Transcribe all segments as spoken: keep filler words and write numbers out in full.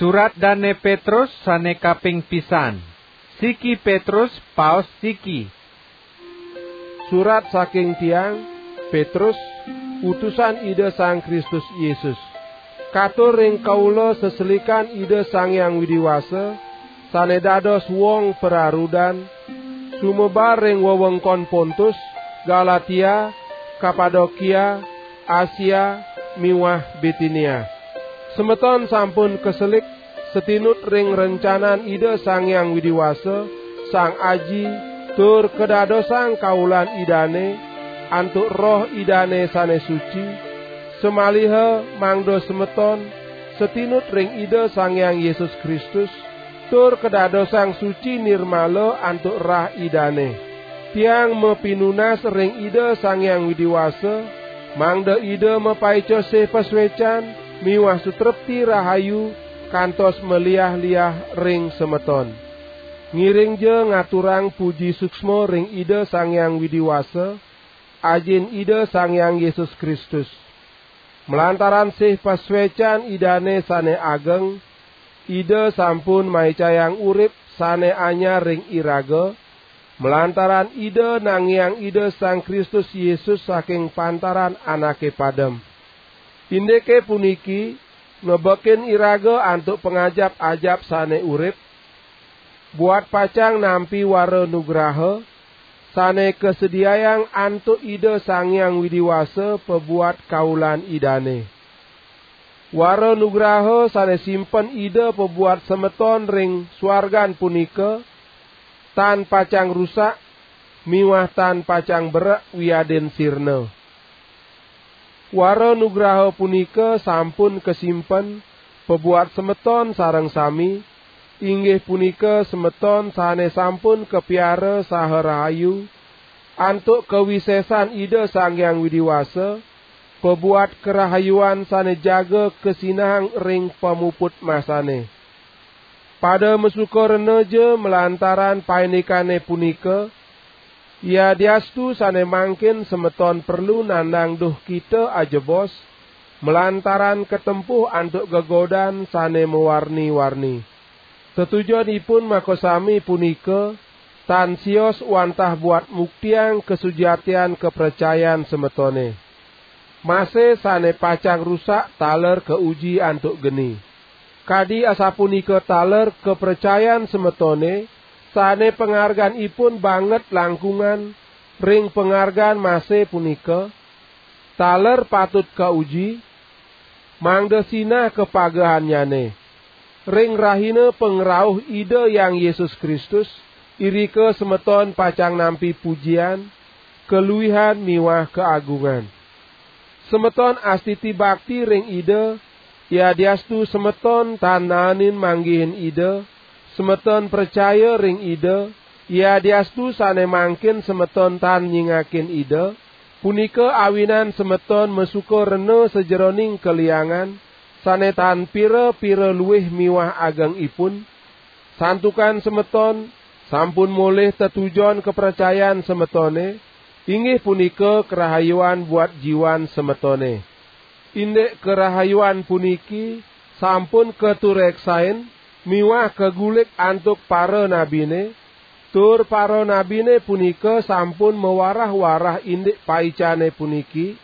Surat dane Petrus sane kaping pisan. Siki Petrus, paos siki. Surat saking tiang, Petrus, utusan Ida Sang Kristus Yesus. Katur ring kaula seselikan Ida Sang Hyang Widi Wasa, sane dados wong pararudan, sumebar ring wewengkon Pontus, Galatia, Kapadokia, Asia, miwah Bitinia. Semeton sampun kaselik satinut ring rencanan Ida Sang Hyang Widi Wasa, Sang Aji, tur kadadosang kaulan Idane, antuk Roh Idane sane suci, samaliha mangda semeton satinut ring Ida Sang Hyang Yesus Kristus, tur kadadosang suci nirmala antuk rah Idane. Tiang mapinunas ring Ida Sang Hyang Widi Wasa, mangda Ida mapaica sih pasuecan miwah sutrepti rahayu kantos maliah-liah ring semeton. Ngiringja ngaturang puji suksma ring Ida Sang Hyang Widi Wasa, Ajin Ida Sang Hyang Yesus Kristus. Malantaran sih pasuecan Idane sane ageng, Ida sampun maicayang urip sane anyar ring iraga, malantaran Ida nangiang Ida Sang Kristus Yesus saking pantaran anake padem. Indike puniki nebekin iraga antuk pangajap-ajap sane urip, buat pacang nampi wara nugraha sane kasediayang antuk Ida Sang Hyang Widi Wasa pabuat kaulan Idane. Wara nugraha sane simpen Ida pabuat semeton ring suargan punika tan pacang rusak miwah tan pacang berek wiadin sirna. Wara nugraha punika sampun kasimpen pabuat semeton sareng sami, inggih punika semeton sane sampun kapiara saha rahayu antuk kawisesan Ida Sang Hyang Widi Wasa, pabuat karahayuan sane jaga kasinahang ring pamuput masane. Pada masuka renaja malantaran paindikane punika, yadiastu sane mangkin semeton perlu nandang duhkita ajebos, malantaran katempuh antuk gegodan sane mawarni-warni. Tetujonipun makasami punika tan sios wantah buat muktiang kasujatian kapracayan semetone. Mase sane pacang rusak taler kauji antuk geni. Kadi asapunika taler kapracayan semetone, sane pangarganipun banget langkungan ring pangargan mase punika, taler patut kauji, mangda sinah kapagehannyane. Ring rahina pangrauh Ida Hyang Yesus Kristus, irika semeton pacang nampi pujian, kaluihan miwah kaagungan. Semeton astiti bakti ring Ida, yadiastu semeton tan naenin manggihin Ida, semeton pracaya ring Ida, yadiastu sane mangkin semeton tan nyingakin Ida, punika awinan semeton masuka rena sajeroning kaliangan, sane tan pira-pira luih miwah agengipun, santukan semeton sampun molih tetujon kapracayan semetone, inggih punika karahayuan buat jiwan semetone. Indik karahayuan puniki sampun katureksain miwah kagulik antuk para nabine, tur para nabine punika sampun mawarah-warah indik paicane puniki,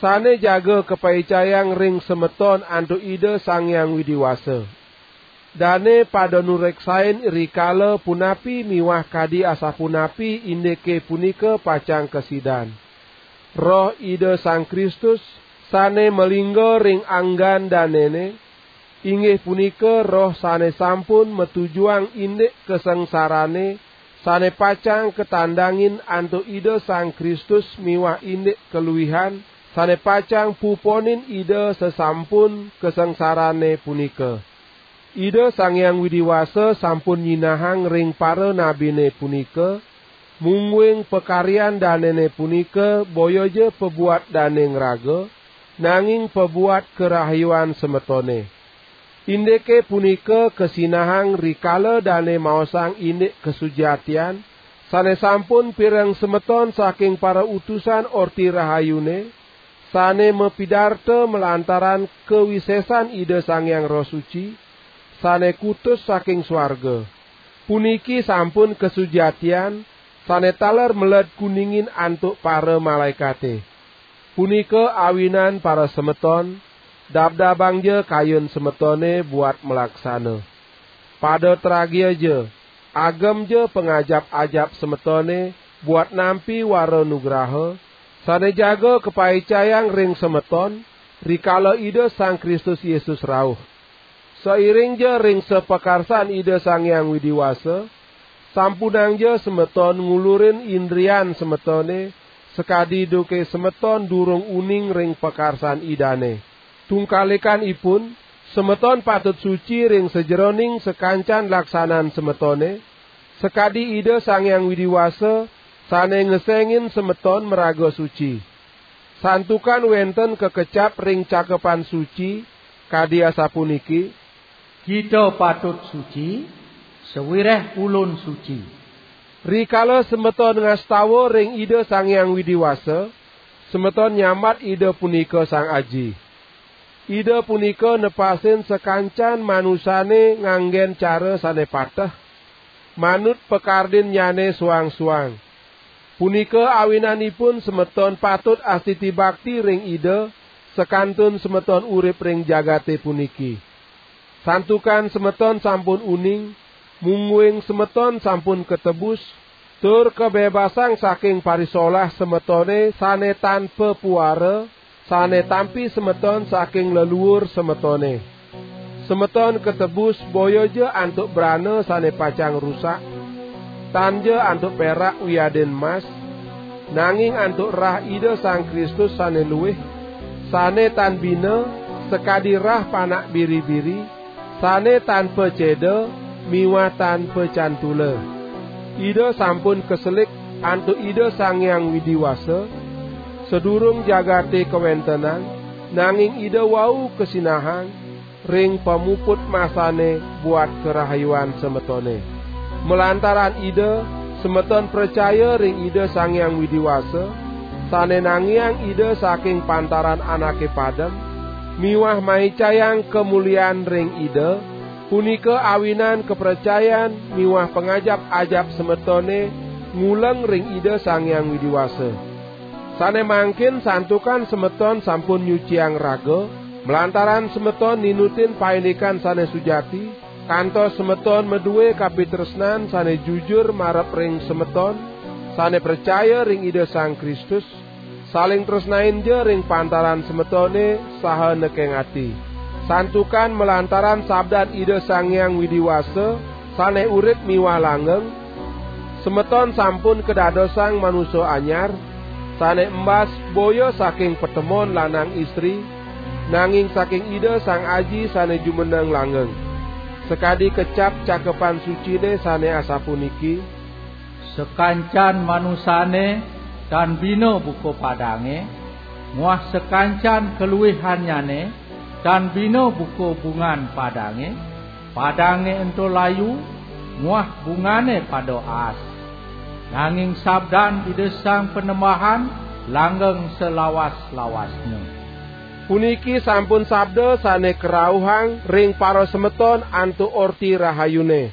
sane jaga kapaicayang ring semeton antuk Ida Sang Hyang Widi Wasa. Dane pada nureksain rikala punapi miwah kadi asapunapi indike punika pacang kasidan. Roh Ida Sang Kristus sane malingga ring anggan danene, inggih punika Roh sane sampun matujuang indik kasangsarane sane pacang katandangin antuk Ida Sang Kristus miwah indik kaluihan sane pacang puponin Ida sasampun kasangsarane punika. Ida Sang Hyang Widi Wasa sampun nyinahang ring para nabine punika, mungguing pakaryan danene punika boyaja pabuat dane ngraga, nanging pabuat karahayuan semetone. Indike punika kasinahang rikala dane maosang indik kasujatian, sane sampun pireng semeton saking para utusan Orti Rahayune, sane mapidarta malantaran kawisesan Ida Sang Hyang Roh Suci, sane kutus saking swarga. Puniki sampun kasujatian sane taler meled kuningin antuk para malaekate. Punika awinan para semeton, dabdabangja kayun semetone buat malaksana. Pada tragiaja, agemja pangajap-ajap semetone buat nampi wara nugraha, sane jaga kapaicayang ring semeton, rikala Ida Sang Kristus Yesus rauh. Sairingja ring sapakarsan Ida Sang Hyang Widi Wasa, sampunangja semeton ngulurin indrian semetone, sakadi duke semeton durung uning ring pakarsan Idane. Tungkalikanipun, semeton patut suci ring sajeroning sakancan laksanan semetone, sakadi Ida Sang Hyang Widi Wasa sane ngesengin semeton maraga suci. Santukan wenten kakecap ring Cakepan Suci, kadi asapuniki: "Kita patut suci, sawireh Ulun suci." Rikala semeton ngastawa ring Ida Sang Hyang Widi Wasa, semeton nyambat Ida punika Sang Aji. Ida punika nepasin sakancan manusane nganggen cara sane pateh, manut pakardinnyane suang-suang. Punika awinanipun semeton patut astiti bakti ring Ida, sakantun semeton urip ring jagate puniki. Santukan semeton sampun uning, mungguing semeton sampun katebus, tur kabebasang saking parisolah semetone sane tan papuara, sane tampi semeton saking leluur semetone. Semeton katebus boyaja antuk brana sane pacang rusak, tanja antuk perak wiadin mas, nanging antuk rah Ida Sang Kristus sane luih, sane tan bina, sakadi rah panak biri-biri, sane tan paceda miwah tan pacantula. Ida sampun kaselik antuk Ida Sang Hyang Widi Wasa, sadurung jagate kawentenang, nanging Ida wau kasinahang ring pamuput masane buat karahayuan semetone. Malantaran Ida, semeton pracaya ring Ida Sang Hyang Widi Wasa, sane nangiang Ida saking pantaran anake padem, miwah maicayang kamulian ring Ida, punika awinan kapracayan miwah pangajap-ajap semetone nguleng ring Ida Sang Hyang Widi Wasa. Sane mangkin santukan semeton sampun nyuciang raga, malantaran semeton ninutin paindikan sane sujati, kantos semeton madue kapitresnan sane jujur marep ring semeton, sane pracaya ring Ida Sang Kristus, saling tresnainja ring pantaran semetone saha nekeng ati. Santukan malantaran sabdan Ida Sang Hyang Widi Wasa, sane urip miwah langgeng, semeton sampun kadadosang manusa anyar, sane embas boya saking patemon lanang istri, nanging saking Ida Sang Aji sane jumeneng langgeng. Sakadi kecap Cakepan Sucine sane asapuniki: "Sakancan manusane tan bina buka padange, muah sakancan kaluihannyane tan bina buka bungan padange, padange ento layu, muah bungane pada aas. Nanging sabdan Ida Sang Panembahan langgeng salawas-lawasnya." Puniki sampun sabda sane karauhang ring parasemeton antuk Orti Rahayune.